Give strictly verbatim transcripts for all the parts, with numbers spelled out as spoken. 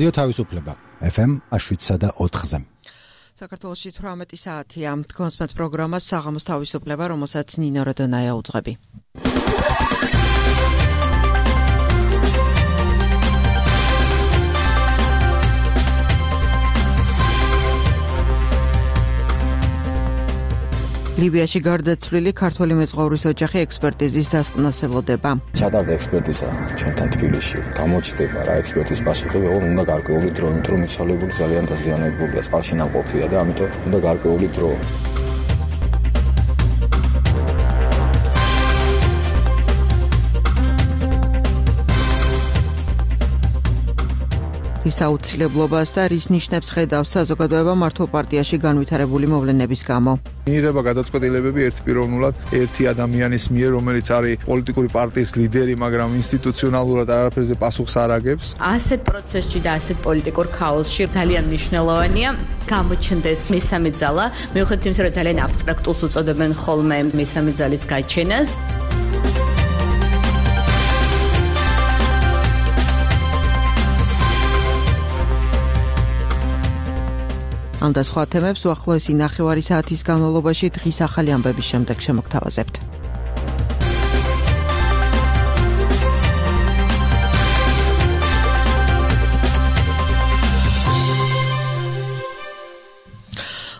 რადიო თავისუფლება ეფ ემ შვიდსა და ოთხზე. საქართველოში თვრამეტი საათია. გონსმეთ პროგრამას საღამოს თავისუფლება, რომელსაც ნინო როდონაია უძღვები. ლიბიაში გარდაცვლილი ქართველი მეცხოვრის ოჯახი ექსპერტიზის დასკვნას ელოდება. ჩატარდა ექსპერტიზა ჩვენთან თბილისში. გამოჩნდება რა ექსპერტიზის პასუხი, რომ უნდა გარკვეული დრო, რომ მიცვალებული ძალიან დაზიანებულია, წყალში ნაყოფია და ამიტომ უნდა გარკვეული დრო. რის აუცილებლობას და რის ნიშნებს ხედავს საზოგადოება მართლ პარტიაში განვითარებული მოვლენების გამო. მიიღება გადაწყვეტილებები ერთპიროვნულად ერთი ადამიანის მიერ, რომელიც არის პოლიტიკური პარტიის ლიდერი, მაგრამ ინსტიტუციონალურად არაფერზე პასუხს არ აგებს. ასეთ პროცესში და ასეთ პოლიტიკურ ქაოსში ძალიან მნიშვნელოვანია გამოჩნდეს მესამე ძალა, მიუხედავად იმისა, რომ ძალიან აბსტრაქტულს უწოდებენ ხოლმე მესამე ძალის გაჩენას. ამ და სხვა თემებს უახლოესი ნახევარი საათის განმავლობაში დღის ახალი ამბების შემდეგ შემოგთავაზებთ.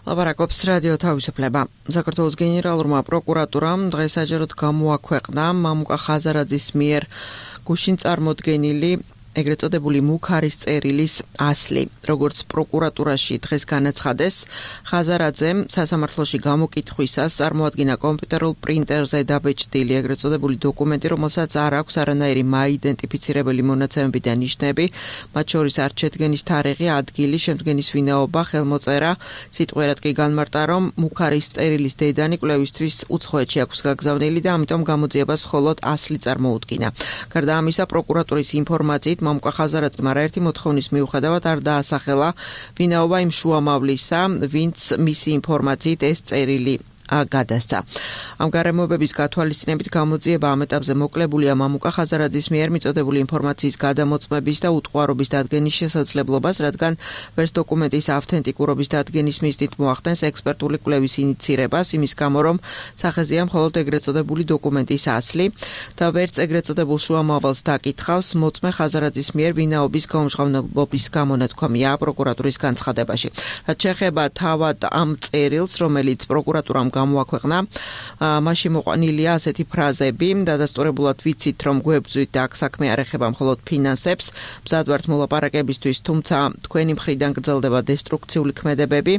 ლაპარაკობს რადიო თავისუფლება. საქართველოს გენერალურმა პროკურატურამ დღეს საჯაროდ გამოაქვეყნა მამუკა ხაზარაძის მიერ გუშინ წარმოდგენილი ეგრეთ წოდებული მუქარის წერილის ასლი. როგორც პროკურატურაში დღეს განაცხადეს, ხაზარაძემ სასამართლოში გამოკითხვისას წარმოადგინა კომპიუტერულ პრინტერზე დაბეჭდილი ეგრეთ წოდებული დოკუმენტი, რომელსაც არ აქვს არანაირი მაიდენტიფიცირებელი მონაცემები და ნიშნები, მათ შორის არ შედგენის თარიღი, ადგილი, შემდგენის ვინაობა, ხელმოწერა. სიტყვიერად კი განმარტა, რომ მუქარის წერილის დედანი კვლევისთვის უცხოეთში აქვს გაგზავნილი და ამიტომ გამოძიებას მხოლოდ ასლი წარმოუდგინა. გარდა ამისა, პროკურატურის ინფორმაციით მამუკა ხაზარაძემ არაერთი მოთხოვნის მიუხედავად არ დაასახელა ვინაობა იმ შუამავლისა, ვინც მისი ინფორმაციით ეს წერილი გადასცა. ამ გარემოებების გათვალისწინებით გამოძიება ამ ეტაპზე მოკლებულია მამუკა ხაზარაძის მიერ მიწოდებული ინფორმაციის გადამოწმების და უტყუარობის დადგენის შესაძლებლობას, რადგან ვერც დოკუმენტის ავთენტიკურობის დადგენის მიზნით მოახდენს ექსპერტული კვლევის ინიცირებას, იმის გამო რომ სახეზეა მხოლოდ ეგრეთ წოდებული დოკუმენტის ასლი და ვერც ეგრეთ წოდებულ შუამავალს დაკითხავს მოწმე ხაზარაძის მიერ ვინაობის გამჟღავნებობის გამონათქვამია პროკურატურის განცხადებაში. რაც შეეხება თავად ამ წერილს, რომელიც პროკურატურამ გამოაქვეყნა, მასში მოყვანილია ასეთი ფრაზები: დადასტურებულად ვიცით, რომ გვებძვით და აქ საქმე არ ეხება მხოლოდ ფინანსებს, მზად ვართ მოლაპარაკებისთვის, თუმცა თქვენი მხრიდან გრძელდება დესტრუქციული ქმედებები.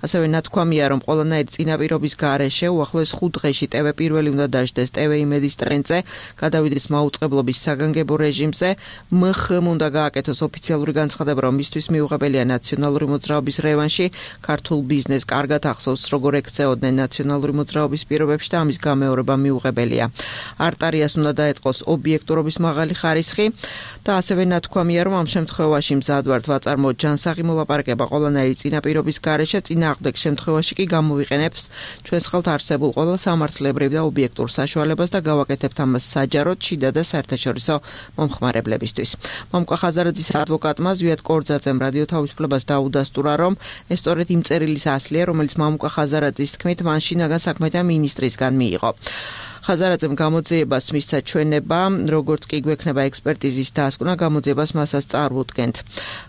ასევე ნათქვამია, რომ ყველანაირი წინაპირობის გარეშე უახლოეს ხუთ დღეში ტევ პირველი უნდა დაждდეს ტევ იმედის ტრენდზე, გადავიდეს მაუწყებლობის საგანგებო რეჟიმზე, მხმ უნდა გააკეთოს ოფიციალური განცხადება, რომ მისთვის მიუღებელია ნაციონალური მოძრაობის რევანში, ქართულ ბიზნესს კარგად ახსოვს, როგორ ექცეოდნენ ნაციონალური მოძრაობის პირობებში და ამის გამეორება მიუღებელია. არტარიას უნდა დაეტყოს ობიექტურობის მაღალი ხარისხი და ასევე ნათქვამია, რომ ამ შემთხვევაში მზად ვართ ვაწარმოოთ ჯანსაღი მოლაპარაკება ყველანაირი წინაპირობის გარეშე, წინააღმდეგ შემთხვევაში კი გამოვიყენებს ჩვენს ხელთ არსებულ ყველა სამართლებრივ და ობიექტურ საშუალებას და გავაკეთებთ ამას საჯაროდ, შიდა და საერთაშორისო მომხმარებლებისთვის. მამუკა ხაზარაძის ადვოკატმა ზვიად კორძაძემ რადიო თავისუფლებას დაუდასტურა, რომ ეს სწორედ იმ წერილის ასლია, რომელიც მამუკა ხაზარაძის თქმით მან შინაგან საქმეთა მინისტრისგან მიიღო. ხაზარაძემ გამოძიებას მისცა ჩვენება, როგორც კი გვექნება ექსპერტიზის დასკვნა, გამოძიებას მასაც წარვუდგენთ.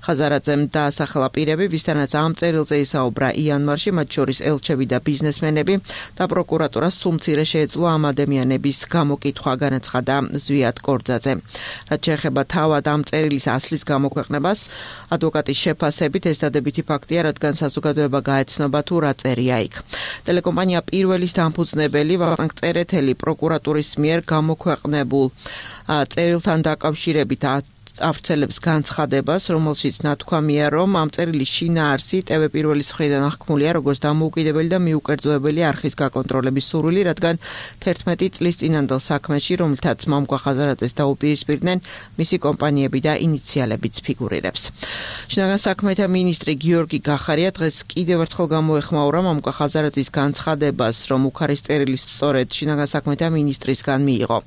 ხაზარაძემ დაასახელა პირები, ვისთანაც ამ წერილზე ისაუბრა იანვარში, მათ შორის ელჩები და ბიზნესმენები და პროკურატურას სულ მცირე შეეძლო ამ ადამიანების გამოკითხვა, განაცხადა ზვიად კორძაძე. რაც შეეხება თავად ამ წერილის ასლის გამოქვეყნებას, ადვოკატის შეფასებით ეს დადებითი ფაქტია, რადგან საზოგადოება გაეცნობა თუ რა წერია იქ. ტელეკომპანია პირველის დამფუძნებელი ვახტანგ წერეთელი პროკურატურის მიერ გამოქვეყნებულ წერილთან დაკავშირებით ავრცელებს განცხადებას, რომელშიც ნათქვამია, რომ ამ წერილის შინაარსი ტევ პირველის მხრიდან აღქმულია როგორც დამოუკიდებელი და მიუკერძოებელი არხის გაკონტროლების სურვილი, რადგან თერთმეტი წლის წინანდელ საქმეში, რომელთაც მამუკა ხაზარაძეს დაუპირისპირდნენ მისი კომპანიები და ინიციალებიც ფიგურირებს. შინაგან საქმეთა მინისტრი გიორგი გახარია დღეს კიდევ ერთხელ გამოეხმაურა მამუკა ხაზარაძის განცხადებას, რომ მუქარის წერილი სწორედ შინაგან საქმეთა მინისტრისგან მიიღო.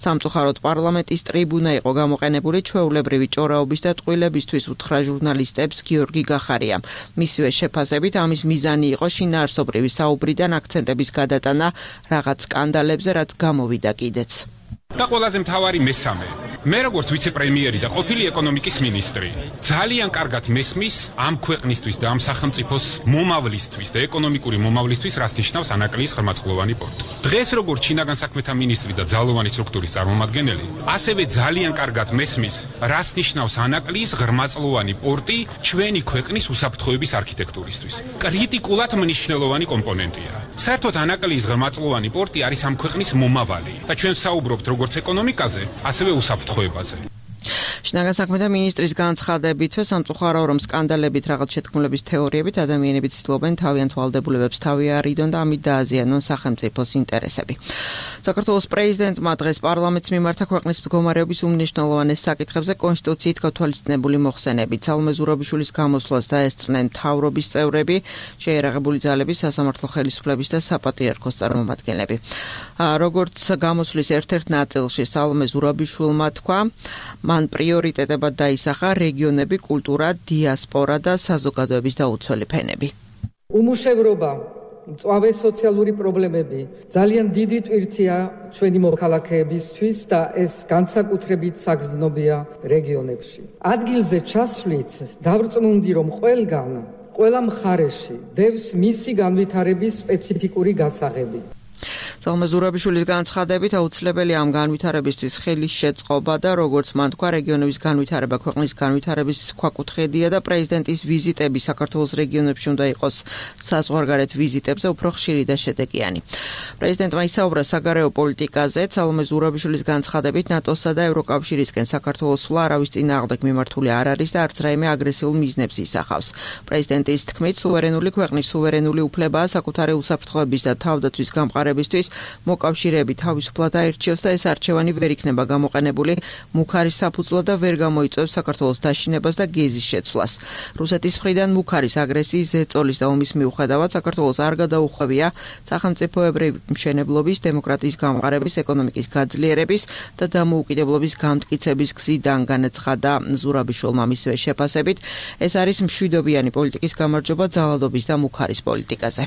სამწუხაროდ პარლამენტის ტრიბუნა იყო გამოყენებული ჩვეულებრივ ჩვეულებრივი ჭორაობის და ტყუილებისთვის უთხრა ჟურნალისტებს გიორგი გახარია. მისივე შეფასებით ამის მიზანი იყო შინაარსობრივი საუბრიდან აქცენტების გადატანა რაღაც სკანდალებზე, რაც გამოვიდა კიდეც. და ყველაზე მთავარი მესამე მე როგორც ვიცე-პრემიერი და ყოფილი ეკონომიკის მინისტრი ძალიან კარგად მესმის ამ ქვეყნისთვის და ამ სახელმწიფოს მომავლისთვის და ეკონომიკური მომავლისთვის რას ნიშნავს ანაკლიის ღრმაწყლოვანი პორტი. დღეს როგორც შინაგან საქმეთა მინისტრი და ძალოვანი სტრუქტურის წარმომადგენელი, ასევე ძალიან კარგად მესმის რას ნიშნავს ანაკლიის ღრმაწყლოვანი პორტი ჩვენი ქვეყნის უსაფრთხოების არქიტექტურისთვის. კრიტიკულად მნიშვნელოვანი კომპონენტია. საერთოდ ანაკლიის ღრმაწყლოვანი პორტი არის ამ ქვეყნის მომავალი და ჩვენ საუბრობთ როგორც ეკონომიკაზე, ასევე უსაფრთხოებაზე. შინაგან საქმეთა მინისტრის განცხადებით, სამწუხაროა, რომ სკანდალებით რაღაც შეთქმულების თეორიებით ადამიანები ცდილობენ თავიანთ ვალდებულებებს თავი არიდონ და ამით დააზიანონ სახელმწიფოს ინტერესები. საქართველოს პრეზიდენტმა დღეს პარლამენტს მიმართა ქვეყნის მდგომარეობის უმნიშვნელოვანეს საკითხებზე კონსტიტუციით გათვალისწინებული მოხსენებით. სალომე ზურაბიშვილის გამოსვლას დაესწრნენ მთავრობის წევრები, შეიარაღებული ძალების, სასამართლო ხელისუფლების და საპატრიარქოს წარმომადგენლები. როგორც გამოსვლის ერთ-ერთ ნაწილში სალომე ზურაბიშვილმა თქვა, მან პრიორიტეტებად დაისახა რეგიონები, კულტურა, დიასპორა და საზოგადოების დაუცველი ფენები. უმუშევრობა, მწვავე სოციალური პრობლემები ძალიან დიდი ტვირთია ჩვენი მოქალაქეებისთვის და ეს განსაკუთრებით საგრძნობია რეგიონებში. ადგილზე ჩასვლით დავრწმუნდი, რომ ყველგან, ყველა მხარეში დევს მისი განვითარების სპეციფიკური გასაღები. სალომე ზურაბიშვილის განცხადებით აუცილებელია ამ განვითარებისთვის ხელის შეწყობა და როგორც მან თქვა, რეგიონების განვითარება ქვეყნის განვითარების ქვაკუთხედია და პრეზიდენტის ვიზიტები საქართველოს რეგიონებში უნდა იყოს საზღვარგარეთ ვიზიტებზე უფრო ხშირი და შედეგიანი. პრეზიდენტმა ისაუბრა საგარეო პოლიტიკაზე. სალომე ზურაბიშვილის განცხადებით, ნატოსა და ევროკავშირისკენ საქართველოს სვლა არავის წინააღმდეგ მიმართული არ არის და არც რაიმე აგრესიულ მიზნებს ისახავს. პრეზიდენტის თქმით, სუვერენული ქვეყნის სუვერენული უფლებაა საკუთარი უსაფრთხოების და თავდაცვის გამყარებისთვის მოკავშირეები თავისუფლად აირჩიოს და ეს არჩევანი ვერ იქნება გამოყენებული მუქარის საფუძვლად და ვერ გამოიწვევს საქართველოს დაშინებას და გეზის შეცვლას. რუსეთის მხრიდან მუქარის აგრესიის, ზეწოლის და ომის მიუხედავად საქართველოს არ გადაუხვევია სახელმწიფოებრივი მშენებლობის, დემოკრატიის გამყარების, ეკონომიკის გაძლიერების და დამოუკიდებლობის გამტკიცების გზიდან, განაცხადა ზურაბიშვილმა მისივე შეფასებით. ეს არის მშვიდობიანი პოლიტიკის გამარჯვება ძალადობის და მუქარის პოლიტიკაზე.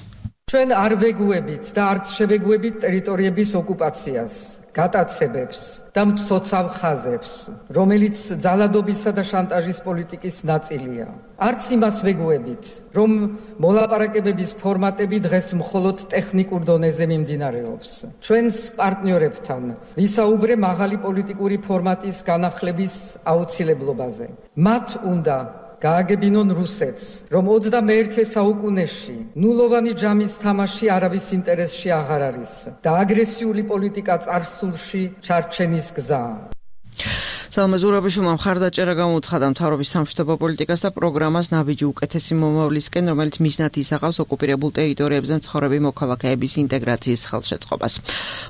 ჩვენ არ ვეგუებით და არც შევეგუებით ტერიტორიების ოკუპაციას, გატაცებებს და მცოცავ ხაზებს, რომელიც ძალადობისა და შანტაჟის პოლიტიკის ნაწილია. არც იმას ვეგუებით, რომ მოლაპარაკებების ფორმატები დღეს მხოლოდ ტექნიკურ დონეზე მიმდინარეობს. ჩვენს პარტნიორებთან ვისაუბრე მაღალი პოლიტიკური ფორმატის განახლების აუცილებლობაზე. მათ უნდა გააგებინონ რუსეთს, რომ ოცდამეერთე საუკუნეში ნულოვანი ჯამის თამაში არავის ინტერესში აღარ არის და აგრესიული პოლიტიკა წარსულში ჩარჩენის გზა. სალომე ზურაბიშვილმა მხარდაჭერა გამოუცხადა მთავრობის სამშვიდობო პოლიტიკას და პროგრამას ნაბიჯი უკეთესი მომავლისკენ, რომელიც მიზნად ისახავს ოკუპირებულ ტერიტორიებზე მცხოვრები მოქალაქეების ინტეგრაციის ხელშეწყობას.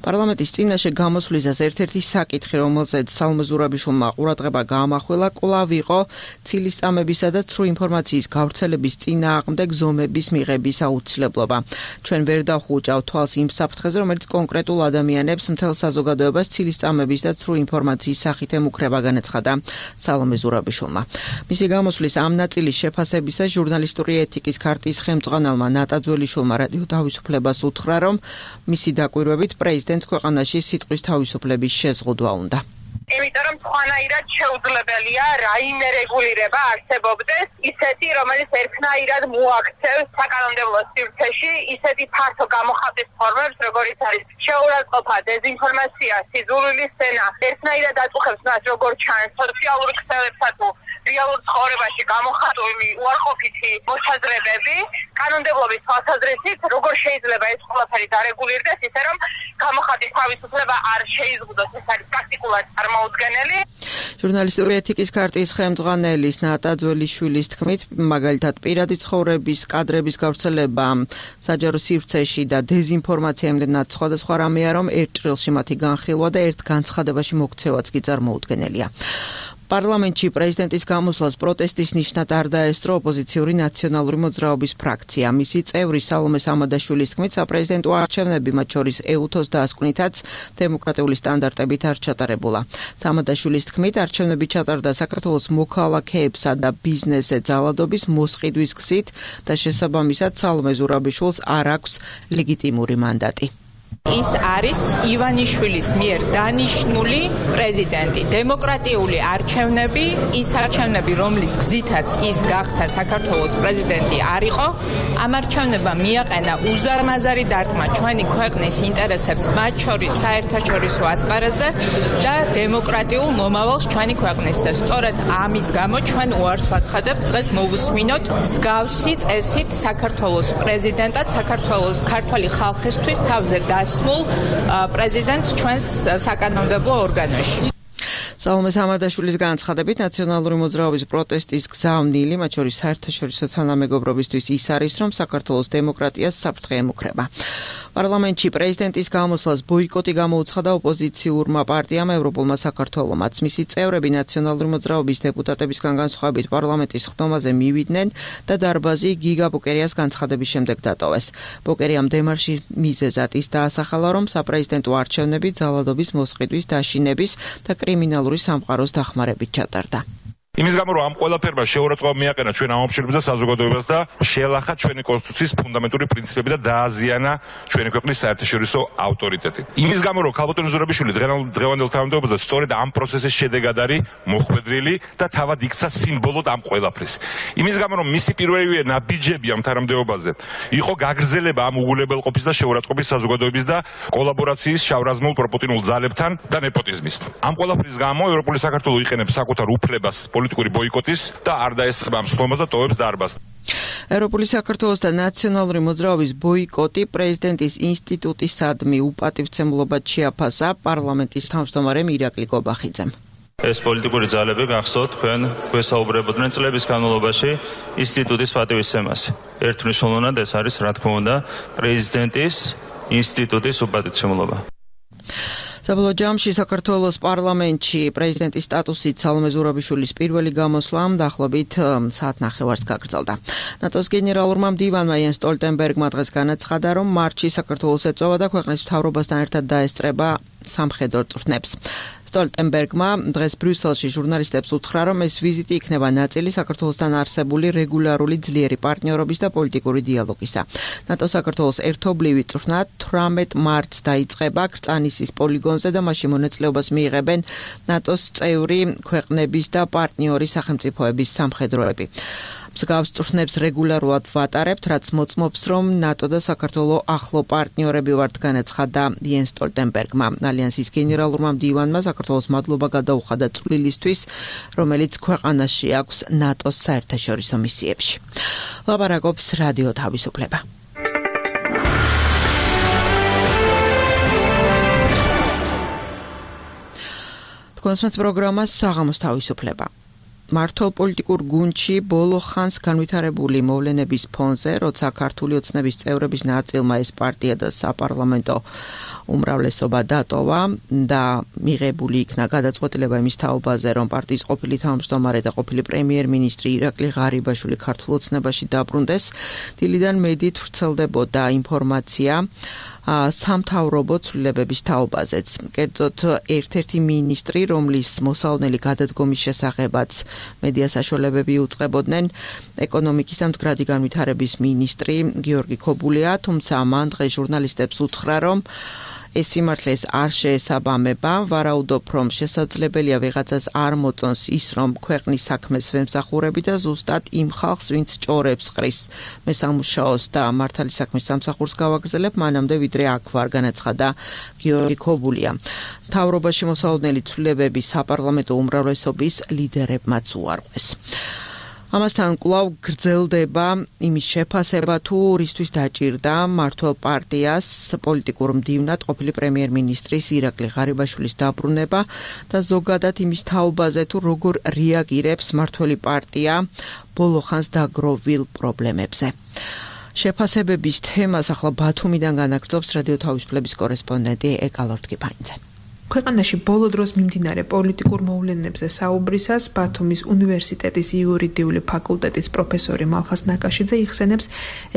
პარლამენტის წინაშე გამოსვლისას ერთ-ერთი საკითხი, რომელზეც სალომე ზურაბიშვილმა ყურადღება გაამახვილა, კვლავ იყო ცილისწამებისა და ცრუ ინფორმაციის გავრცელების წინააღმდეგ ზომების მიღების აუცილებლობა. ჩვენ ვერ დავხუჭავთ თვალს იმ საფრთხეზე, რომელიც კონკრეტულ ადამიანებს, მთელ საზოგადოებას ცილისწამების და ცრუ ინფორმაციის სახით ემუქრება, განაცხადა სალომე ზურაბიშვილმა. მისი გამოსვლის ამ ნაწილის შეფასებისას ჟურნალისტური ეთიკის ქარტიის ხელმძღვანელმა ნატა ძველიშვილმა რადიო თავისუფლებას უთხრა, რომ მისი დაკვირვებით პრეზიდენტს ქვეყანაში სიტყვის თავისუფლების შეზღუდვა უნდა. იმიტომ რომ სხვანაირად შეუძლებელია რაიმე რეგულირება არსებობდეს ისეთი, რომელიც ერთნაირად მოაქცევს საკანონმდებლო სივრცეში ისეთი ფართო გამოხატვის ფორმებს, როგორიც არის შეურაცხყოფა, დეზინფორმაცია, სიძულვილი სცენა, ერთნაირად აწუხებს მას, როგორ ჩანს სოციალური ქსელებსა თუ რეალურ ცხოვრებაში გამოხატული უარყოფითი მოსაზრებები, კანონმდებლობის თვალსაზრისით, როგორ შეიძლება ეს ყველაფერი დარეგულირდეს, ისე რომ გამოხატვის თავისუფლება არ შეიზღუდოს, ეს არის პრაქტიკულად წარმოუდგენელი. ჟურნალისტური ეთიკის ქარტიის ხელმძღვანელის ნატა ძველიშვილის თქმით, მაგალითად პირადი ცხოვრების კადრების გავრცელება საჯარო სივრცეში და დეზინფორმაცია იმდენად სხვადასხვა რამეა, რომ ერთ ჭრილში მათი განხილვა და ერთ განცხადებაში მოქცევაც კი წარმოუდგენელია. პარლამენტში პრეზიდენტის გამოსვლას პროტესტის ნიშნად არ დაესწრო ოპოზიციური ნაციონალური მოძრაობის ფრაქცია. მისი წევრი სალომე სამადაშვილის თქმით, საპრეზიდენტო არჩევნები, მათ შორის ეუთოს დასკვნითაც დემოკრატიული სტანდარტებით არ ჩატარებულა. სამადაშვილის თქმით, არჩევნები ჩატარდა საქართველოს მოქალაქეებსა და ბიზნესზე ძალადობის მოსყიდვის გზით და შესაბამისად სალომე ზურაბიშვილს არ აქვს ლეგიტიმური მანდატი. ის არის ივანიშვილის მიერ დანიშნული პრეზიდენტი. დემოკრატიული არჩევნები, ის არჩევნები, რომლის გზითაც ის გახდა საქართველოს პრეზიდენტი არ იყო, ამ არჩევნებმა მიაყენა უზარმაზარი დარტყმა ჩვენი ქვეყნის ინტერესებს, მათ შორის საერთაშორისო ასპარეზზე და დემოკრატიულ მომავალს ჩვენი ქვეყნის. და სწორედ ამის გამო ჩვენ უარს ვაცხადებთ დღეს მოვუსმინოთ მსგავსი წესით საქართველოს პრეზიდენტად, საქართველოს ქართველი ხალხისთვის თავზე დასმულ პრეზიდენტს ჩვენს საკანონმდებლო ორგანოში. სალომე სამადაშვილის განცხადებით, ნაციონალური მოძრაობის პროტესტის გზავნილი, მათ შორის საერთაშორისო თანამეგობრობისთვის ის არის, რომ საქართველოს დემოკრატიას საფრთხე ემუქრება. პარლამენტში პრეზიდენტის გამოსვლას ბოიკოტი გამოუცხადა ოპოზიციურმა პარტიამ ევროპულმა საქართველომაც. მისი წევრები ნაციონალური მოძრაობის დეპუტატებისგან განსხვავებით პარლამენტის ხდომაზე მივიდნენ და დარბაზი გიგა ბოკერიას განცხადების შემდეგ დატოვეს. ბოკერიამ დემარში მიზეზად ის დაასახელა, რომ საპრეზიდენტო არჩევნები ძალადობის მოსყიდვის, დაშინების და კრიმინალური სამყაროს დახმარებით ჩატარდა. იმის გამო რომ ამ ყველაფერმა შეურაცხყოფა მიაყენა ჩვენ ამობშრობებს და საზოგადოებას და შეელახა ჩვენი კონსტიტუციის ფუნდამენტური პრინციპები და დააზიანა ჩვენი ქვეყნის საერთაშორისო ავტორიტეტი. იმის გამო რომ ქალბატონი ზურაბიშვილი დღევანდელ თანამდებობაზე სწორედ ამ პროცესის შედეგად არის მოხვედრილი და თავად იქცა სიმბოლოდ ამ ყველაფრის. იმის გამო რომ მისი პირველივე ნაბიჯები ამ თანამდებობაზე იყო გაგრძელება ამ უგულებელყოფის და შეურაცხყოფის საზოგადოების და კოლაბორაციის შავრაზმულ პროპოტინულ ძალებთან და ნეპოტიზმის. ამ ყველაფრის გამო ევროპული საქართველო იყენებს საკუთარ უფლებას პოლიტიკური ბოიკოტის და არ დაესწრება ამ სხდომას და ტოვებს დარბაზს. ევროპული საქართველოს და ნაციონალური მოძრაობის ბოიკოტი პრეზიდენტის ინსტიტუტისადმი უპატივცემლობად შეაფასა პარლამენტის თავმჯდომარემ ირაკლი გობახიძემ. ეს პოლიტიკური ძალები გახსოვთ თქვენ გვესაუბრებოდნენ წლების განმავლობაში ინსტიტუტის პატივისცემას. ერთმნიშვნელოვნად ეს არის რა თქმა უნდა პრეზიდენტის ინსტიტუტის უპატივცემლობა. საბოლოო ჯამში საქართველოს პარლამენტში პრეზიდენტის სტატუსით სალომე ზურაბიშვილის პირველი გამოსვლა დაახლოებით საათ ნახევარს გაგრძელდა. ნატოს გენერალურმა მდივანმა იენს სტოლტენბერგმა დღეს განაცხადა, რომ მარტში საქართველოს ეწევა და ქვეყნის მთავრობასთან ერთად დაესწრება სამხედრო წვრთნებს. სტოლტენბერგმა დღეს ბრიუსელში ჟურნალისტებს უთხრა, რომ ეს ვიზიტი იქნება ნაწილი საქართველოსთან არსებული რეგულარული ძლიერი პარტნიორობის და პოლიტიკური დიალოგისა. ნატო საქართველოს ერთობლივი წვრთნა თვრამეტ მარტს დაიწყება კრწანისის პოლიგონზე და მასში მონაწილეობას მიიღებენ ნატოს წევრი ქვეყნების და პარტნიორი სახელმწიფოების სამხედროები. მსგავს წვრთნებს რეგულარულად ვატარებთ, რაც მოწმობს, რომ ნატო და საქართველო ახლო პარტნიორები ვართ, განაცხადა იენს სტოლტენბერგმა. ალიანსის გენერალურმა მდივანმა საქართველოს მადლობა გადაუხადა წვლილისთვის, რომელიც ქვეყანაში აქვს ნატოს საერთაშორისო მისიებში. ლაპარაკობს რადიო თავისუფლება. თქვენს პროგრამას საღამოს თავისუფლება. მართლ პოლიტიკურ გუნდში ბოლო ხანს განვითარებული მოვლენების ფონზე, როცა ქართული ოცნების წევრების ნაწილმა ეს პარტია და საპარლამენტო უმრავლესობა დატოვა და მიღებული იქნა გადაწყვეტილება იმის თაობაზე, რომ პარტიის ყოფილი თავმჯდომარე და ყოფილი პრემიერ-მინისტრი ირაკლი ღარიბაშვილი ქართულ ოცნებაში დაბრუნდეს, დილიდან მედიით ვრცელდებოდა ინფორმაცია სამთავრობო ცვლილებების თაობაზეც. კერძოდ ერთ-ერთი მინისტრი, რომლის მოსავნელი გადადგომის შესახებაც მედია საშუალებები უწყებოდნენ, ეკონომიკის და მდგრადი განვითარების მინისტრი გიორგი ქობულია, თუმცა მან დღეს ჟურნალისტებს უთხრა, რომ ეს სიმართლეს არ შეესაბამება, ვარაუდობ, რომ შესაძლებელია ვიღაცას არ მოწონს ის, რომ ქვეყნის საქმეს ვემსახურები და ზუსტად იმ ხალხს, ვინც ჭორებს ყრის მე სამუშაოს და მართალი საქმის სამსახურს გავაგრძელებ, მანამდე ვიდრე აქ ვარ, განაცხადა გიორგი ქობულია. მთავრობაში მოსავნელი ცვლილებები საპარლამენტო უმრავლესობის ლიდერებმაც უარყვეს. ამასთან კვლავ გრძელდება იმის შეფასება, თუ რისთვის დაჭირდა მართლ პარტიას პოლიტიკურ მდივნად ყოფილი პრემიერ-მინისტრის ირაკლი ღარიბაშვილის დაბრუნება და ზოგადად იმის თაობაზე, თუ როგორ რეაგირებს მართლი პარტია ბოლო ხანს დაგროვილ პრობლემებზე. შეფასებების თემას ახლა ბათუმიდან განაგრძობს რადიო თავისუფლების კორესპონდენტი ეკალორტკიფანიძე. ქვეყანაში ბოლო დროს მიმდინარე პოლიტიკურ მოვლენებზე საუბრისას ბათუმის უნივერსიტეტის იურიდიული ფაკულტეტის პროფესორი მალხაზ ნაკაშიძე იხსენებს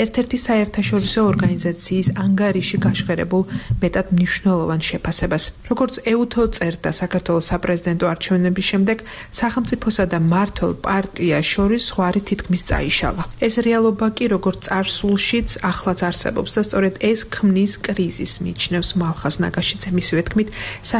ერთ-ერთი საერთაშორისო ორგანიზაციის ანგარიში გაშღერებულ მეტად მნიშვნელოვან შეფასებას. როგორც ეუთო წერდა, საქართველოს საპრეზიდენტო არჩევნების შემდეგ სახელმწიფოსა და მმართველ პარტიას შორის ზღვარი თითქმის წაიშალა. ეს რეალობა კი როგორც წარსულშიც ახლაც არსებობს და სწორედ ეს ქმნის კრიზისს, მიიჩნევს მალხაზ ნაკაშიძე. მისივე თქმით,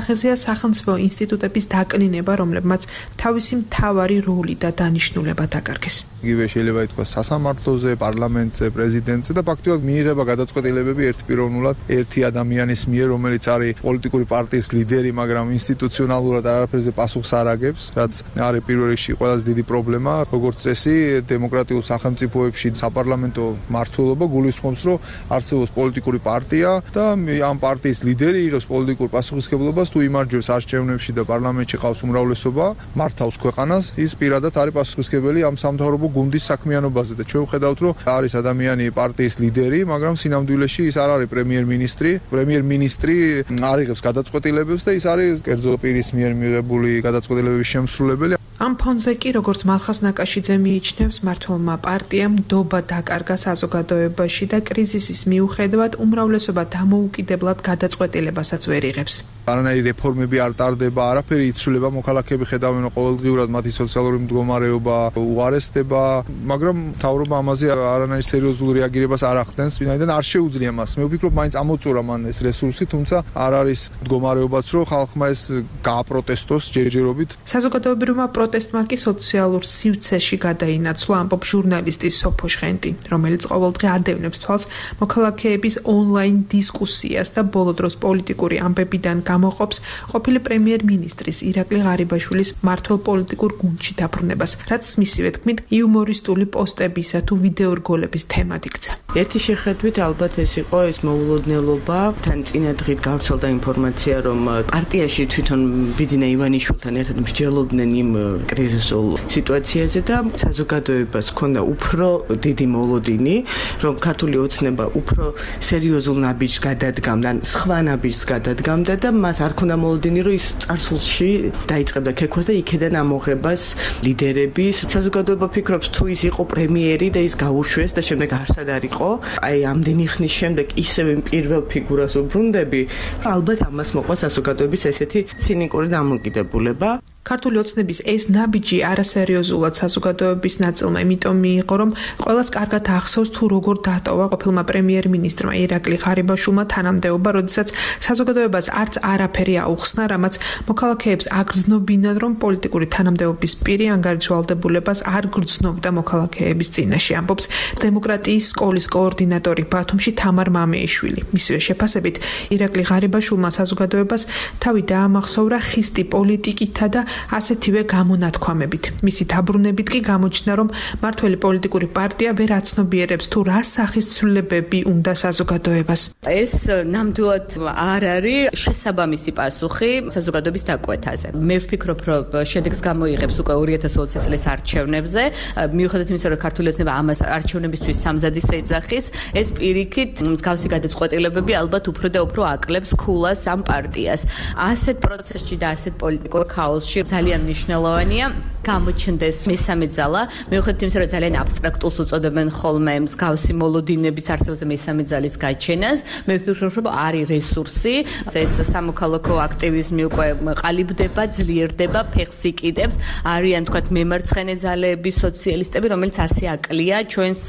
სახეზეა სახელმწიფო ინსტიტუტების დაკნინება, რომლებმაც თავისი მთავარი როლი და დანიშნულება დაკარგეს. იგივე შეიძლება ითქვას სასამართლოზე, პარლამენტზე, პრეზიდენტზე და ფაქტობრივად მიიღება გადაწყვეტილებები ერთპიროვნულად ერთი ადამიანის მიერ, რომელიც არის პოლიტიკური პარტიის ლიდერი, მაგრამ ინსტიტუციონალურად არაფერზე პასუხს არ აგებს, რაც არის პირველ რიგში ყველაზე დიდი პრობლემა. როგორც წესი, დემოკრატიულ სახელმწიფოებში საპარლამენტო მმართველობა გულისხმობს, რომ არსებობს პოლიტიკური პარტია და ამ პარტიის ლიდერი იღებს პოლიტიკურ პასუხისმგებლობას, თუ იმარჯვებს არჩევნებში და პარლამენტში ყავს უმრავლესობა, მართავს ქვეყანას, ის პირადად არის პასუხისმგებელი ამ სამთავრობო გუნდის საქმიანობაზე და ჩვენ ვხედავთ, რომ არის ადამიანი პარტიის ლიდერი, მაგრამ სინამდვილეში ის არ არის პრემიერ-მინისტრი. პრემიერ-მინისტრი არ იღებს გადაწყვეტილებებს და ის არის კერძო პირის მიერ მიღებული გადაწყვეტილებების შემსრულებელი. ამ ფონზე კი, როგორც მალხაზ ნაკაშიძე მიიჩნევს, მმართველმა პარტიამ ნდობა დაკარგა საზოგადოებაში და კრიზისის მიუხედავად უმრავლესობა დამოუკიდებლად გადაწყვეტილებასაც ვერ იღებს. არანაირი რეფორმები არ ტარდება, არაფერი იცვლება, მოქალაქეები ხედავენ, რომ ყოველდღიურად მათი სოციალური მდგომარეობა უარესდება, მაგრამ მთავრობა ამაზე არანაირ სერიოზულ რეაგირებას არ ახდენს, ვინაიდან არ შეუძლია მას. მე ვფიქრობ, მაინც ამოწურა მან ეს რესურსი, თუმცა არ არის მდგომარეობაც, რომ ხალხმა ეს გააპროტესტოს ჯერჯერობით. საზოგადოებრივმა პროტესტმა კი სოციალურ სივრცეში გადაინაცვლა, ამბობს ჟურნალისტი სოფო შხენტი, რომელიც ყოველდღე ადევნებს თვალს მოქალაქეების ონლაინ დისკუსიას და ბოლო დროს პოლიტიკური ამბებიდან გამოყოფს ყოფილი პრემიერ-მინისტრის ირაკლი ღარიბაშვილის მმართველ პოლიტიკურ გუნდში დაბრუნებას, რაც მისივე თქმით იუმორისტული პოსტებისა თუ ვიდეორგოლების თემად იქცა. ერთი შეხედვით ალბათ ეს იყო ეს მოულოდნელობა, თან წინა დღით გავრცელდა ინფორმაცია, რომ პარტიაში თვითონ ბიძინა ივანიშვილთან ერთად მსჯელობდნენ იმ კრიზისულ სიტუაციაზე და საზოგადოებას ჰქონდა უფრო დიდი მოლოდინი, რომ ქართული ოცნება უფრო სერიოზულ ნაბიჯს გადადგამდა, სხვა ნაბიჯს გადადგამდა და მას არ ქონდა მოლოდინი, რომ ის წარსულში დაიწყებდა ქექვას და იქედან ამოღებას ლიდერების. საზოგადოება ფიქრობს, თუ ის იყო პრემიერი და ის გაუშვეს და შემდეგ არსად არ იყო, აი ამდენი ხნის შემდეგ ისევ პირველ ფიგურას უბრუნდები, ალბათ ამას მოყვა საზოგადოების ესეთი ცინიკური დამოკიდებულება. ქართული ოცნების ეს ნაბიჯი არასერიოზულად საზოგადოების ნაწილმა იმიტომ მიიღო, რომ ყველას კარგად ახსოვს თუ როგორ დატოვა ყოფილმა პრემიერ-მინისტრმა ირაკლი ღარიბაშვილმა თანამდებობა, როდესაც საზოგადოებას არც არაფერი აუხსნა, რამაც მოქალაქეებს აგრძნობინან, რომ პოლიტიკური თანამდებობის პირი ანგარიშვალდებულებას არ გრძნობდა მოქალაქეების წინაშე, ამბობს დემოკრატიის სკოლის კოორდინატორი ბათუმში თამარ მამეიშვილი. მისივე შეფასებით, ირაკლი ღარიბაშვილმა საზოგადოებას თავი დაამახსოვრა ხისტი პოლიტიკითა და ასეთივე გამონათქვამებით. მისი დაბრუნებით კი გამოჩნდა, რომ მმართველი პოლიტიკური პარტია ვერ აცნობიერებს თუ რა სახის ცვლილებები უნდა საზოგადოებას. ეს ნამდვილად არ არის შესაბამისი პასუხი საზოგადოების დაკვეთაზე. მე ვფიქრობ, რომ შედეგს გამოიღებს უკვე ორი ათას ოცი წლის არჩევნებზე, მიუხედავად იმისა, რომ ქართული ოცნება ამას არჩევნებისთვის სამზადისს ეძახის, ეს პირიქით მსგავსი გადაწყვეტილებები ალბათ უფრო და უფრო აკლებს ქულას ამ პარტიას. ასეთ პროცესში და ასეთ პოლიტიკურ ქაოსში ძალიან მნიშვნელოვანია გამოჩნდეს მესამე ძალა. მიუხედავად იმისა, რომ ძალიან აბსტრაქტულს უწოდებენ ხოლმე მსგავსი მოლოდინების არსებობაზე მესამე ძალის გაჩენას, მე ვფიქრობ, რომ არის რესურსი, ეს სამოქალაქო აქტივიზმი უკვე ყალიბდება, ძლიერდება, ფეხს იკიდებს, არიან თქვათ მემარცხენე ძალები, სოციალისტები, რომელიც ასე აკლია ჩვენს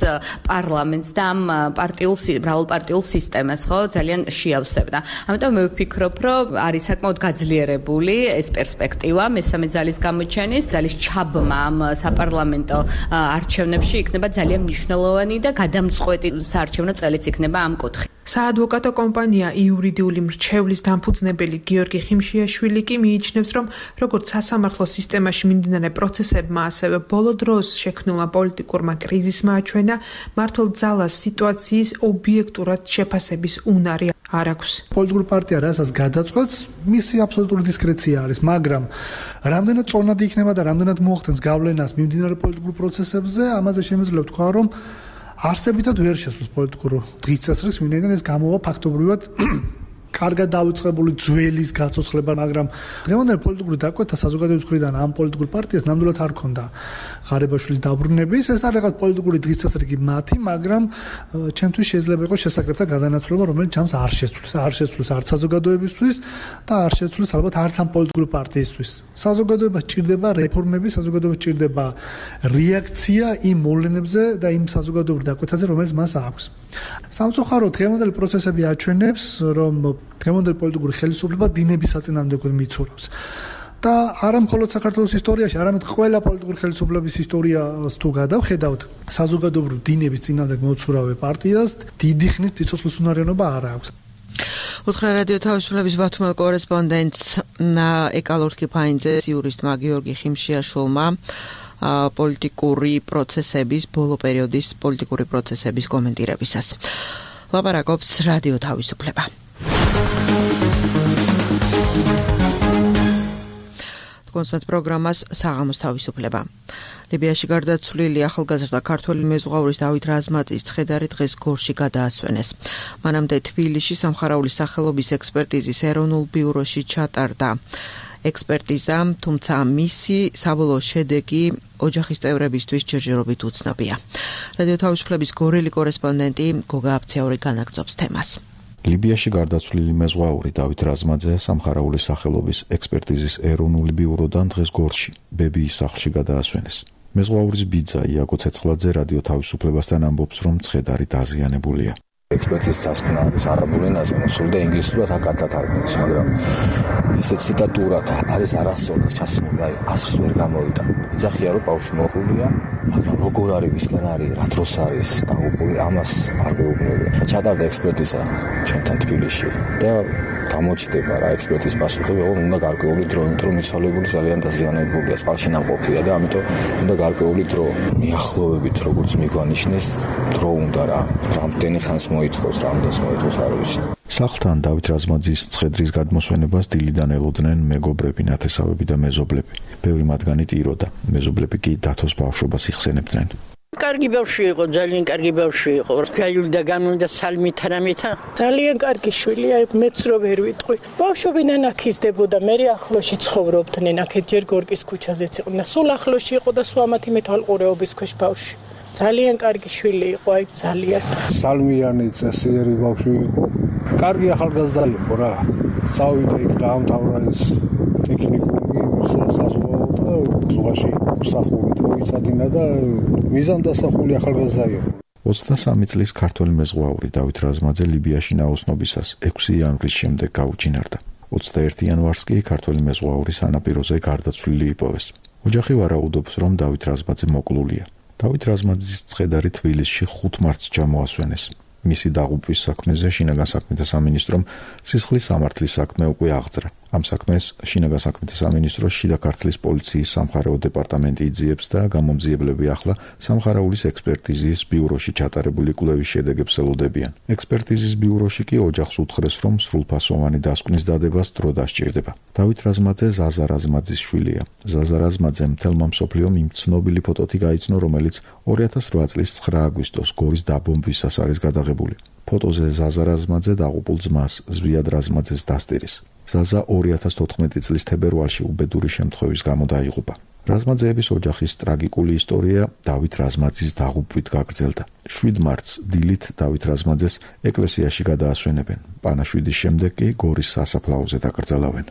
პარლამენტს და ამ პარტიულ მრავალპარტიულ სისტემას, ხო, ძალიან შეავსებდა. ამიტომ მე ვფიქრობ, რომ არის საკმაოდ გაძლიერებული ეს პერსპექტივა მესამე ძალის გამოჩენის, ძალის ჩაბმა ამ საპარლამენტო არჩევნებში იქნება ძალიან მნიშვნელოვანი და გადამწყვეტი საარჩევნო წელიც იქნება ამ კუთხით. საადვოკატო კომპანია იურიდიული მრჩევლის დამფუძნებელი გიორგი ხიმშიაშვილი კი მიიჩნევს, რომ როგორც სასამართლო სისტემაში მიმდინარე პროცესებმა, ასევე ბოლო დროს შექმნილმა პოლიტიკურმა კრიზისმა აჩვენა, მმართველ ძალას სიტუაციის ობიექტურად შეფასების უნარი არ აქვს. პოლიტიკური პარტია რასაც გადაწყვეტს, მისი აბსოლუტური დისკრეცია არის, მაგრამ რამდენად წონად იქნება და რამდენად მოახდენს გავლენას მიმდინარე პოლიტიკურ პროცესებზე, ამაზე შემიძლია ვთქვა, რომ არსებითად ვერ შესვლის პოლიტიკურ დღის წესრიგს, ვინაიდან ეს გამოვა ფაქტობრივად კარგად დავიწყებული ძველის გაცოცხლება, მაგრამ დღევანდელი პოლიტიკური დაკვეთა საზოგადოების მხრიდან ამ პოლიტიკურ პარტიას ნამდვილად არ ქონდა ღარიბაშვილის დაბრუნების. ეს არ რაღაც პოლიტიკური დღისწესრიგი მათი, მაგრამ ჩემთვის შეიძლება იყოს შესაკრებთა გადანაცვლება, რომელიც ჯამს არ შეცვლის, არ შეცვლის არც საზოგადოებისთვის და არ შეცვლის ალბათ არც ამ პოლიტიკური პარტიისთვის. საზოგადოებას ჭირდება რეფორმები, საზოგადოებას ჭირდება რეაქცია იმ მოვლენებზე და იმ საზოგადოებრივ დაკვეთაზე, რომელიც მას აქვს. სამწუხაროდ დღევანდელი პროცესები აჩვენებს, რომ დღევანდელი პოლიტიკური ხელისუფლება დინების საწინააღმდეგოდ მიცურავს. და არა მხოლოდ საქართველოს ისტორიაში, არამედ ყველა პოლიტიკური ხელისუფლების ისტორიას თუ გადავხედავთ, საზოგადოებრივ დინების წინააღმდეგ მოცურავე პარტიას დიდი ხნის სიცოცხლის უნარიანობა არ აქვს. უთხრა რადიო თავისუფლების ბათუმელ კორესპონდენტს ეკალორთკი ფაინძეს იურისტმა გიორგი ხიმშიაშვილმა პოლიტიკური პროცესების, ბოლო პერიოდის პოლიტიკური პროცესების კომენტირებისას. ლაპარაკობს რადიო თავისუფლება. კონსერტ პროგრამას საღამოს თავისუფლება. ლიბიაში გარდაცვლილი ახალგაზრდა ქართველი მეზღვაურის დავით რაზმაძის ცხედარი დღეს გორში გადაასვენეს. მანამდე თბილისში სამხარაულის სახელობის ექსპერტიზის ეროვნულ ბიუროში ჩატარდა ექსპერტიზა, თუმცა მისი საბოლოო შედეგი ოჯახის წევრებისთვის ჯერჯერობით უცნობია. რადიო თავისუფლების გორელი კორესპონდენტი გოგა აფცეური განაგრძობს თემას. ლიბიაში გარდაცვლილი მეზღვაური დავით რაზმაძე სამხარაულის სახელობის ექსპერტიზის ეროვნული ბიუროდან დღეს გორში, ბებიის სახლში გადაასვენეს. მეზღვაურის ბიძა იაკო ცეცხლაძე რადიო თავისუფლებასთან ამბობს, რომ ცხედარი დაზიანებულია. ექსპერტიზის დასკვნა არის არაბულ ენაზე, მოსული და ინგლისურად აკადად თარგმნეს, მაგრამ ისე ციტატურად არის არასწორად ჩასმული, აი ასხს ვერ გამოვიდა. იძახია, რომ ბავშვი მოკლულია, მაგრამ როგორ არის, ვისგან არის, რა დროს არის დაღუპული, ამას არ მეუბნებია. ჩატარდა ექსპერტიზა ჩვენთან თბილისში და გამოჩნდება რა ექსპერტიზის პასუხები, რომ უნდა გარკვეული დრო, იმიტომ რომ მიცვალებული ძალიან დაზიანებულია, წყალში ნამყოფია და ამიტომ უნდა გარკვეული დრო. მიახლოვებით, როგორც მიგვანიშნეს, დრო უნდა რა. რამდენი ხანს მოითხოვს, რამდენს მოითხოვს არ ვიცი. სახლთან დავით რაზმაძის ცხედრის გადმოსვენებას დილიდან ელოდნენ მეგობრები, ნათესავები და მეზობლები. ბევრი მათგანი ტიროდა, მეზობლები კი დათოს ბავშვობას იხსენებდნენ. კარგი ბავშვი იყო, ძალიან კარგი ბავშვი იყო. გაივლი და გამოვიდა სალმით რამეთა. ძალიან კარგი შვილია, მეც რო ვერ ვიტყვი. ბავშვობიდან აქ იზრდებოდა, მე ახლოში ცხოვრობდნენ, აქ ჯერ გორკის ქუჩაზეც იყო. და სულ ახლოში იყო და სვამათი მეთვალყურეობის ქვეშ ბავშვი. ძალიან კარგი შვილი იყო, აი ძალიან. სალმიანი წესიერი ბავშვი იყო. კარგი ახალგაზრდა იყო რა. წავიდა იქ დაამთავრა ეს ტექნიკუმი, საზღვაო და ზღვაში მსახურით მოიცადინა და მიზანდასახული ახალგაზრდა იყო. ოცდასამი წლის ქართველი მეზღვაური დავით რაზმაძე ლიბიაში ნაოსნობისას ექვსი იანვრის შემდეგ გაუჩინარდა. ოცდაერთი იანვარს კი ქართველი მეზღვაური სანაპიროზე გარდაცვლილი იპოვეს. ოჯახი ვარაუდობს, რომ დავით რაზმაძე მოკლულია. დავით რაზმაძის ცხედარი თბილისში ხუთ მარტს ჩამოასვენეს. მისი დაღუპვის საქმეზე შინაგან საქმეთა სამინისტრომ სისხლის სამართლის საქმე უკვე აღძრა. ამ საქმეს შინაგან საქმეთა სამინისტროს შიდა ქართლის პოლიციის სამხარეო დეპარტამენტი იძიებს და გამომძიებლები ახლა სამხარაულის ექსპერტიზის ბიუროში ჩატარებული კვლევის შედეგებს ელოდებიან. ექსპერტიზის ბიუროში კი ოჯახს უთხრეს, რომ სრულფასოვანი დასკვნის დადებას დრო დასჭირდება. დავით რაზმაძე ზაზა რაზმაძის შვილია. ზაზა რაზმაძემ მთელმა მსოფლიომ იმ ცნობილი ფოტოთი გაიცნო, რომელიც ორი ათას რვა წლის ცხრა აგვისტოს გორის დაბომბვისას არის გადაღებული. ფოტოზე ზაზა რაზმაძე დაღუპულ ძმას ზვიად რაზმაძეს დასტირის. ზაზა ორი ათას თოთხმეტი წლის თებერვალში უბედური შემთხვევის გამო დაიღუპა. რაზმაძეების ოჯახის ტრაგიკული ისტორია დავით რაზმაძის დაღუპვით გაგრძელდა. შვიდ მარტს დილით დავით რაზმაძეს ეკლესიაში გადაასვენებენ. პანაშვიდის შემდეგ კი გორის სასაფლაოზე დაკრძალავენ.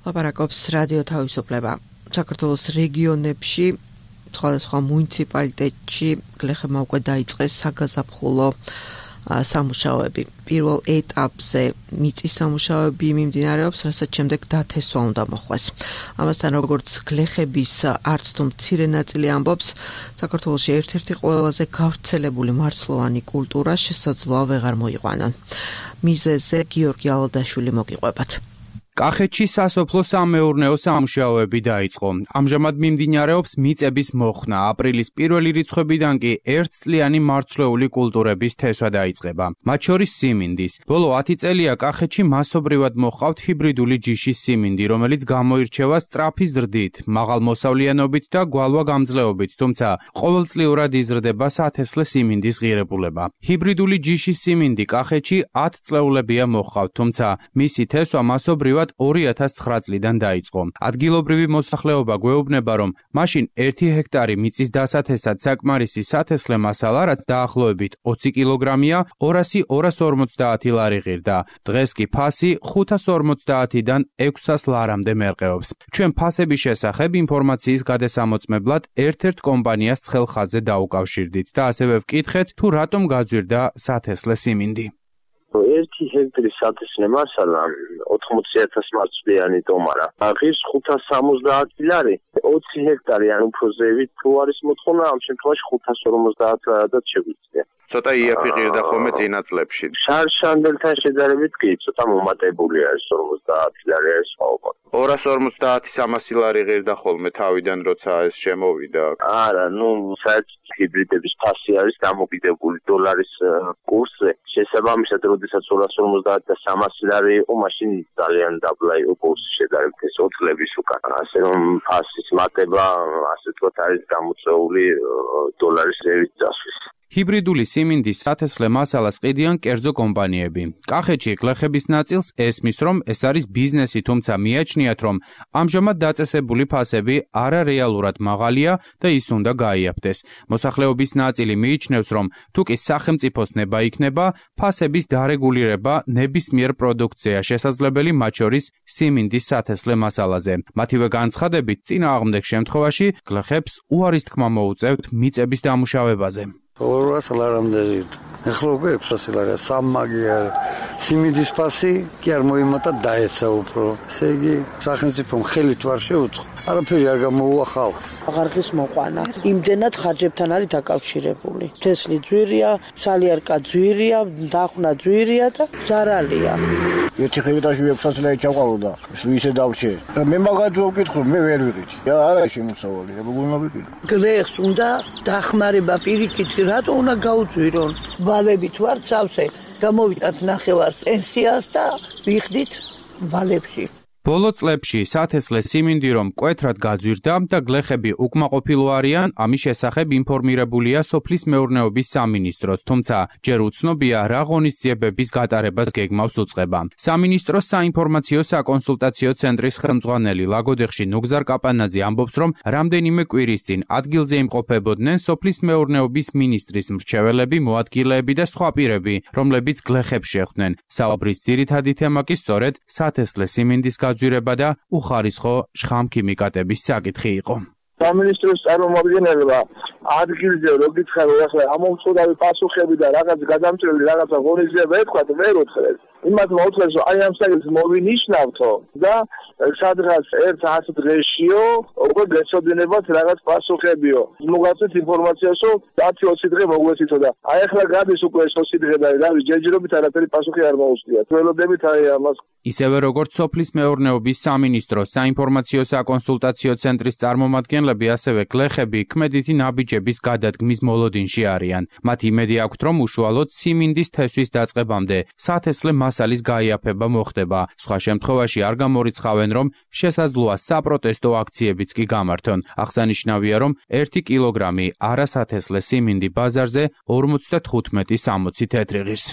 ლაპარაკობს რადიო თავისუფლება. საქართველოს რეგიონებში სხვადასხვა მუნიციპალიტეტში გლეხებმა უკვე დაიწყეს საგაზაფხულო სამუშაოები. პირველ ეტაპზე მიწის სამუშაოები მიმდინარეობს, რასაც შემდეგ დათესვა უნდა მოხდეს. ამასთან როგორც გლეხების არც თუ მცირე ნაწილი ამბობს, საქართველოში ერთ-ერთი ყველაზე გავრცელებული მარცვლოვანი კულტურა შესაძლოა ვეღარ მოიყვანონ. მიზეზზე გიორგი ალადაშვილი მოგიყვებათ. კახეთში სასოფლო სამეურნეო სამუშაოები დაიწყო. ამჟამად მიმდინარეობს მიწების მოხსნა. აპრილის პირველი რიცხვებიდან კი ერთწლიანი მარცვლეული კულტურების თესვა დაიწყება. მათ შორის სიმინდის. ბოლო ათი წელია კახეთში მასობრივად მოჰყავთ ჰიბრიდული ჯიშის სიმინდი, რომელიც გამოირჩევა სწრაფი ზრდით, მაღალ მოსავლიანობით და გვალვაგამძლეობით, თუმცა ყოველწლიურად იზრდება სათესლე სიმინდის ღირებულება. ჰიბრიდული ჯიშის სიმინდი კახეთში ათ წლეულებია მოჰყავთ, თუმცა მისი თესვა მასობრივად ორი ათას ცხრა წლიდან დაიწყო. ადგილობრივი მოსახლეობა გვეუბნება, რომ მაშინ ერთი ჰექტარი მიწის დასათესად საკმარისი სათესლე მასალა, რაც დაახლოებით ოცი კილოგრამია, ორასი ორას ორმოცდაათი ლარი ღირდა. დღეს კი ფასი ხუთას ორმოცდაათიდან ექვსას ლარამდე მერყეობს. ჩვენ ფასების შესახებ ინფორმაციის გადასამოწმებლად ერთ-ერთ კომპანიას ცხელხაზზე დაუკავშირდით და ასევე ვკითხეთ, თუ რატომ გაძვირდა სათესლე სიმინდი. ერთი ჰექტარის სათესლე მასალა ოთხმოცი ათას მარცვლიანი ტომარა. ღირს ხუთას სამოცდაათი ლარი, ოცი ჰექტარი ან უფრო ზევით თუ არის მოთხოვნა, ამ შემთხვევაში ხუთას ორმოცდაათი ლარადაც შეგვიძლია. ცოტა იაფი ღირდა ხოლმე წინა წლებში. შარშანბელთან შედარებით კი ცოტა მომატებულია ეს ორმოცდაათი ლარი არის სხვაობა. ორას ორმოცდაათი სამასი ლარი ღირდა ხოლმე თავიდან როცა ეს შემოვიდა. არა, ნუ საერთოდ ჰიბრიდების ფასი არის დამოკიდებული დოლარის კურსზე. შესაბამისად, როდესაც ორას ორმოცდაათი და სამასი ლარი იყო, მაშინ ძალიან დაბლა იყო კურსი შედარებით ეს ოც წლების უკან. ასე რომ ფასის მატება, ასე ვთქვათ, არის გამოწვეული დოლარის ზევით წასვლის. ჰიბრიდული სიმინდის სათესლე მასალას ყიდიან კერძო კომპანიები. კახეთში გლეხების ნაწილს ესმის, რომ ეს არის ბიზნესი, თუმცა მიაჩნიათ, რომ ამჟამად დაწესებული ფასები არარეალურად მაღალია და ის უნდა გაიაფდეს. მოსახლეობის ნაწილი მიიჩნევს, რომ თუ კი სახელმწიფოს ნება იქნება, ფასების დარეგულირება ნებისმიერ პროდუქცია შესაძლებელი, მათ შორის სიმინდის სათესლე მასალაზე. მათივე განცხადებით, წინააღმდეგ შემთხვევაში გლეხებს უარის თქმა მოუწევთ მიწების დამუშავებაზე. ორას ლარამდე ღირდა. ეხლა უკვე ექვსას ლარია, სამმაგი არის. სიმინდის ფასი კი არ მოიმატა, დაეცა უფრო. ესე იგი, სახელმწიფომ ხელით ვარ შეუწყო. არაფერი არ გამოუვა ხალხს. აღარხის მოყვანა იმდენად ხარჯებთან არის დაკავშირებული. თესლი ძვირია, სალიარკა ძვირია, დახნა ძვირია და ზარალია. ერთი ჰექტარში ექვსას ლარი ჩაყავდა, ისე დავრჩე. მე მაგათო ვკითხო, მე ვერ ვიყიდი. არა შემოსავალი, როგორ უნდა ვიყიდო? გლეხს უნდა დახმარება პირიქით, რატო უნდა გაუძვირონ? ვალებით ვარ სავსე, გამოვიტანთ ნახევარს პენსიას და ვიხდით ვალებში. ბოლო წლებში სათესლე სიმინდი რომ მკვეთრად გაძვირდა და გლეხები უკმაყოფილო არიან, ამის შესახებ ინფორმირებულია სოფლის მეურნეობის სამინისტროს, თუმცა ჯერ უცნობია რა ღონისძიებების გატარებას გეგმავს უწყება. სამინისტროს საინფორმაციო საკონსულტაციო ცენტრის ხელმძღვანელი ლაგოდეხში ნუგზარ კაპანაძე ამბობს, რომ რამდენიმე კვირის წინ ადგილზე იმყოფებოდნენ სოფლის მეურნეობის მინისტრის მრჩეველები, მოადგილეები და სხვა პირები, რომლებიც გლეხებს შეხვდნენ. საუბრის ძირითადი თემა კი სწორედ სათესლე სიმინდის გაძვირება და უხარისხო შხამქიმიკატების საკითხი იყო. სამინისტროს წარმომადგენელმა ადგილზე რო გითხარო ახლა ამომწყდარი პასუხები და რაღაც გადამწყვეტი რაღაცა ღონისძიება ეთქვათ, ვერ უთხრეს. იმათ მოუწევს აი ამ საკითხს მოვინიშნავთო და სადღაც ერთ ათ დღეშიო უკვე გეცოდინებათ რაღაც პასუხებიო. მოგაცეთ ინფორმაციას, რომ ათი ოცი დღე მოგვეცითო და აი ახლა გადის უკვე ეს ოცი დღე და რავი ჯერჯერობით არაფერი პასუხი არ მოუსწიათ. ველოდებით აი ამას. ისევე როგორც სოფლის მეურნეობის სამინისტროს საინფორმაციო საკონსულტაციო ცენტრის წარმომადგენლები, ასევე გლეხები ქმედითი ნაბიჯების გადადგმის მოლოდინში არიან. მათ იმედი აქვთ, რომ უშუალოდ სიმინდის თესვის დაწყებამდე სათესლე მასალის გაიაფება მოხდება. სხვა შემთხვევაში არ გამორიცხავენ, რომ შესაძლოა საპროტესტო აქციებიც კი გამართონ. აღსანიშნავია, რომ ერთი კილოგრამი არასათესლე სიმინდი ბაზარზე ორმოცდათხუთმეტი სამოცი თეთრი ღირს.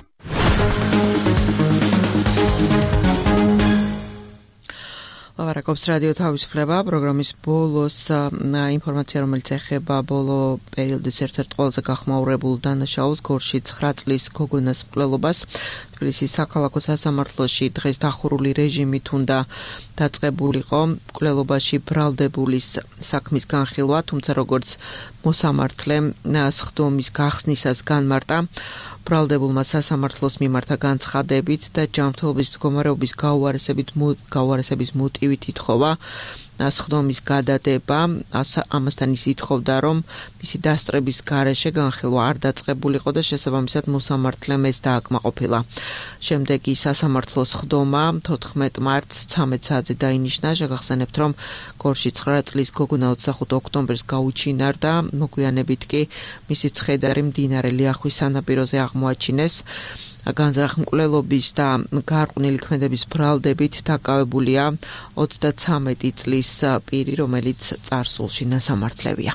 ლავარაკობს რადიო თავისუფლება პროგრამის ბოლოს ინფორმაცია, რომელიც ეხება ბოლო პერიოდის ერთ-ერთ ყველაზე გახმაურებულ დანაშაულს, გორში ცხრა წლის გოგონას მკვლელობას. თბილისის საქალაქო სასამართლოში დღეს დახურული რეჟიმით უნდა დაწყებულიყო მკვლელობაში ბრალდებულის საქმის განხილვა, თუმცა როგორც მოსამართლე სხდომის გახსნისას განმარტა, ბრალდებულმა სასამართლოს მიმართა განცხადებით და ჯანმრთელობის მდგომარეობის გაუარესებით გაუარესების მოტივით ითხოვა სხდომის გადადება, ამასთან ის ითხოვდა, რომ მისი დასწრების გარეშე განხილვა არ დაწყებულიყო და შესაბამისად მოსამართლემ ეს დააკმაყოფილა. შემდეგ ის სასამართლოს სხდომა თოთხმეტ მარტს ცამეტ საათზე დაინიშნა. შეგახსენებთ, რომ გორში ცხრა წლის გოგონა ოცდახუთ ოქტომბერს გაუჩინარდა, მოგვიანებით კი მისი ცხედარი მდინარე ლიახვის სანაპიროზე აღმოაჩინეს. განზრახ-მკვლელობის და გარყვნილი ქმედების ბრალდებით დაკავებულია ოცდაცამეტი წლის პირი, რომელიც წარსულში ნასამართლევია.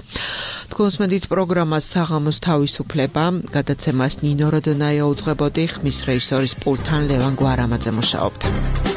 თქვენს მედით პროგრამას საღამოს თავისუფლება, გადაცემას ნინო როდონაია უძღვებოდი, ხმის რეჟისორის პულტთან ლევან გვარამაძე მუშაობდა.